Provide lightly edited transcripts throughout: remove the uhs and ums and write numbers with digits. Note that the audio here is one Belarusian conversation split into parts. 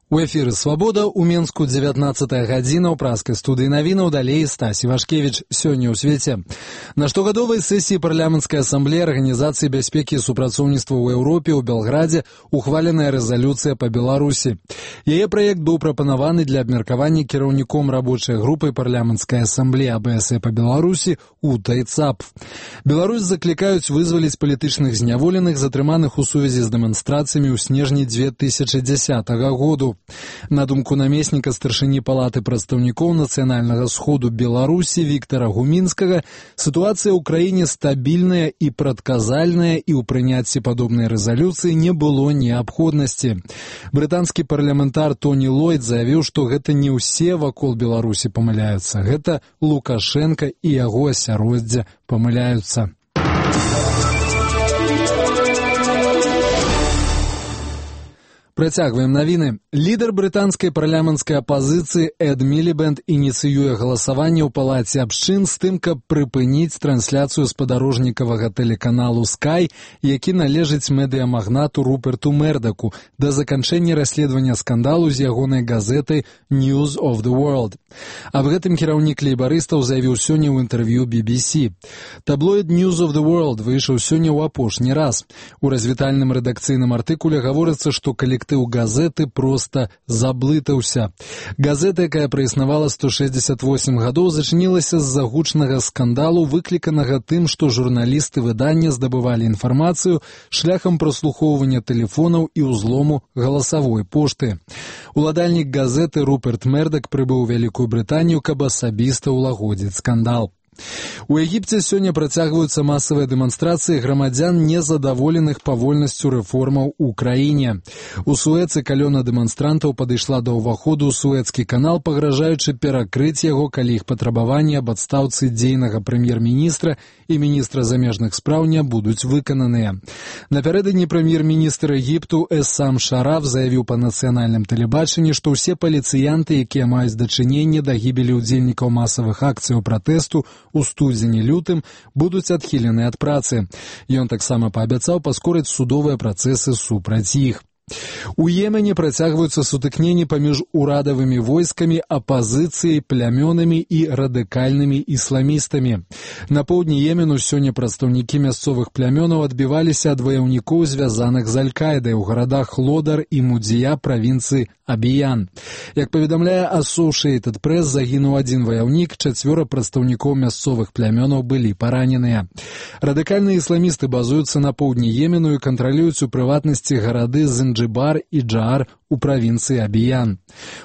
У эфіры «Свабода» ў Менску 19 гадзіна ў праскай студыі навінаў, далей Стасі Вашкевіч. Сёння ў свеце. На штогадовай сесіі парламенцкай асамблеі Арганізацыі бяспекі і супрацоўніцтва ў Еўропе ў Белградзе ухваленая рэзалюцыя па Беларусі. Яе праект быў прапанаваны для абмеркавання кіраўніком рабочай групы парламенцкай асамблеі АБС па Беларусі Утай Цапф. Беларусь заклікаюць вызваліць палітычных зняволеных, затрыманых у сувязі з дэманстрацыямі ў снежні 2010 году. На думку намесніка старшыні палаты прадстаўнікоў нацыянальнага сходу Беларусі Віктара Гумінскага, сітуацыя ў краіне стабільная і прадказальная, і ў прыняцці падобнай рэзалюцыі не было неабходнасці. Брытанскі парламентар Тоні Ллойд заявіў, што гэта не ўсе вакол Беларусі памыляюцца, гэта Лукашенка і яго асяроддзе памыляюцца. Працягваем навіны. Лідар брытанскай парламенцкай апазіцыі Эд Мілібэнд ініцыюе галасаванне ў палаце абшчын з тым, каб прыпыніць трансляцыю спадарожнікавага тэлеканалу Sky, які належыць медыямагнату Руперту Мердаку, да заканчэння расследавання скандалу з ягонай газетай News of the World. Аб гэтым кіраўнік лейбарыстаў заявіў сёння ў інтэрв'ю BBC. Таблоід News of the World выйшаў сёння ў апошні раз. У развітальным рэдакцыйным артыкуле гаворыцца, што калектыў газеты проста заблытаўся. Газета, якая праіснавала 168 гадоў, зачынілася з-за гучнага скандалу, выкліканага тым, што журналісты выдання здабывалі інфармацыю шляхам праслухоўвання тэлефонаў і ўзлому галасавой пошты. Уладальнік газеты Руперт Мердак прыбыў у Вялікую Брытанію, каб асабіста ўлагодзіць скандал. У Егіпце сёння працягваюцца масавыя дэманстрацыі грамадзян, незадаволеных павольнасцю рэформаў у краіне. У Суэцы калёна дэманстрантаў падышла да ўваходу ў Суэцкі канал, пагражаючы перакрыць яго, калі іх патрабаванні аб адстаўцы дзейнага прэм'ер-міністра і міністра замежных спраў не будуць выкананыя. Напярэдадні прэм'ер-міністр Егіпту Эссам Шараф заявіў па нацыянальным тэлебачанні, што ўсе паліцыянты, якія маюць дачыненне да гібелі ўдзельнікаў масавых акцыяў пратэсту у студзені-лютым, будуць адхілены ад працы. Ён таксама паабяцаў паскорыць судовыя працэсы супраць іх. У Йемене працягваюцца сутыкненні паміж урадавымі войскамі, апазіцыяй, плямёнамі і радыкальнымі ісламістамі. На поўдні Йемену сёння прадстаўнікі мясцовых плямёнаў адбіваліся ад ваяўнікоў, звязаных з Аль-Каідай у гарадах Лодар і Мудзія правінцыі Абіян. Як паведамляе Associated Press, загінуў адзін ваяўнік, 4 прадстаўнікоў мясцовых плямёнаў былі параненыя. Радыкальныя ісламісты базуюцца на поўдні Йемену і кантралююць у прыватнасці гарады Занджибар і Джаар у правінцыі Абіян.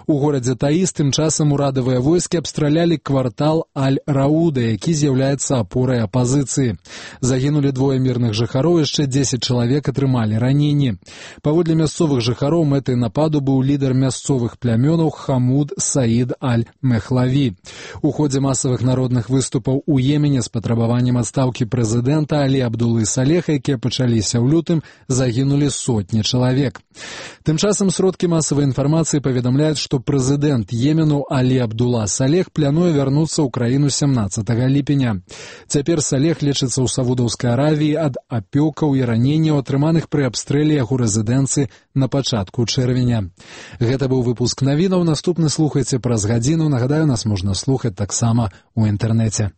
У горадзе Таіз тым часам урадавыя войскі абстралялі квартал Аль-Рауда, які з'яўляецца апорай апазіцыі. Загінулі 2 мірных жыхароў, яшчэ 10 чалавек атрымалі раненні. Паводле мясцовых жыхароў мэтай нападу быў лідар мясцовых плямёнаў Хамуд Саід Аль-Мехлаві. У ходзе масавых народных выступаў у Йемене з патрабаваннем адстаўкі прэзідэнта Алі Абдулы Салеха, якія пачаліся ў лютым, загінулі сотні чалавек. Тым часам сродкі масавай інфармацыі паведамляюць, што прэзідэнт Йемену Алі Абдула Салех плануе вярнуцца ў краіну 17 ліпеня. Цяпер Салех лечыцца ў Саудаўскай Аравіі ад апёкаў і раненняў, атрыманых пры абстрэле яго рэзідэнцыі на пачатку чэрвеня. Гэта быў выпуск навінаў. Наступны слухайце праз гадзіну. Нагадаю, нас можна слухаць таксама ў інтэрнэце.